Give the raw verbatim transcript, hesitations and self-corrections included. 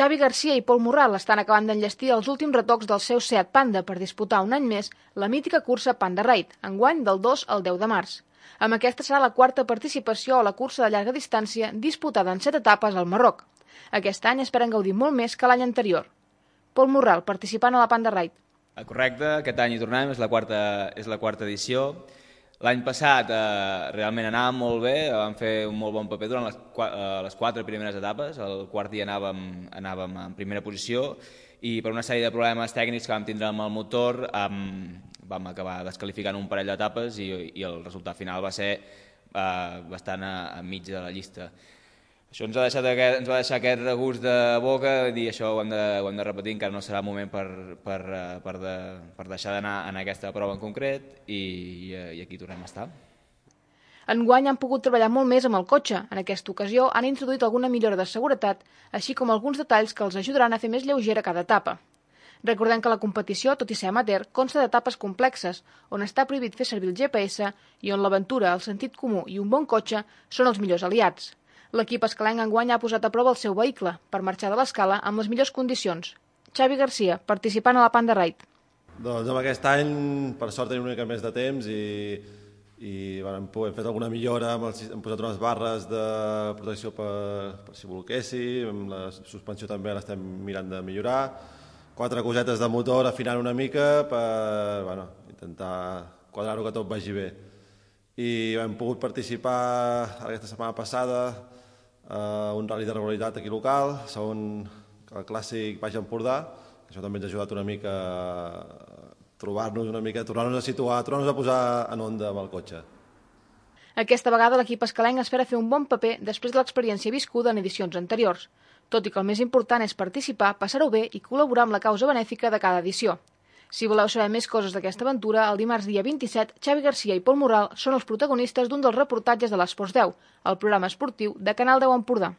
Xavi Garcia i Pol Morral estan acabant d'enllestir els últims retocs del seu Seat Panda per disputar un any més la mítica cursa Panda Ride, enguany del dos al deu de març. Amb aquesta serà la quarta participació a la cursa de llarga distància disputada en set etapes al Marroc. Aquest any esperen gaudir molt més que l'any anterior. Pol Morral, participant a la Panda Ride. Correcte, aquest any hi tornem, és la quarta, és la quarta edició. L'any passat eh, realment anàvem molt bé, vam fer un molt bon paper durant les, eh, les quatre primeres etapes, el quart dia anàvem, anàvem en primera posició i per una sèrie de problemes tècnics que vam tindre amb el motor eh, vam acabar descalificant un parell d'etapes i, i el resultat final va ser eh, bastant a, a mig de la llista. Això ens, ha deixat aquest, ens va deixar aquest regust de boca, dir això ho hem de, ho hem de repetir, encara no serà moment per, per, per, de, per deixar d'anar en aquesta prova en concret i, i aquí tornem a estar. Enguany han pogut treballar molt més amb el cotxe. En aquesta ocasió han introduït alguna millora de seguretat, així com alguns detalls que els ajudaran a fer més lleugera cada etapa. Recordem que la competició, tot i ser amateur, consta d'etapes complexes, on està prohibit fer servir el G P S i on l'aventura, el sentit comú i un bon cotxe són els millors aliats. L'equip escalenc enguany ha posat a prova el seu vehicle per marxar de l'escala amb les millors condicions. Xavi Garcia, participant a la Panda Ride. Doncs amb aquest any, per sort, tenim una mica més de temps i, i bueno, hem fet alguna millora, hem, hem posat unes barres de protecció per, per si volguéssim, la suspensió també l'estem mirant de millorar, quatre cosetes de motor afinant una mica per bueno, intentar quadrar-ho que tot vagi bé. I hem pogut participar aquesta setmana passada a un rally de regularitat aquí local, segon el clàssic Baix Empordà, que això també ens ha ajudat una mica a trobar-nos una mica, tornar-nos a situar, tornar-nos a posar en onda amb el cotxe. Aquesta vegada l'equip escalenc espera fer un bon paper després de l'experiència viscuda en edicions anteriors, tot i que el més important és participar, passar-ho bé i col·laborar amb la causa benèfica de cada edició. Si voleu saber més coses d'aquesta aventura, el dimarts dia vint-i-set, Xavi Garcia i Pol Morral són els protagonistes d'un dels reportatges de l'Esports deu, el programa esportiu de Canal deu Empordà.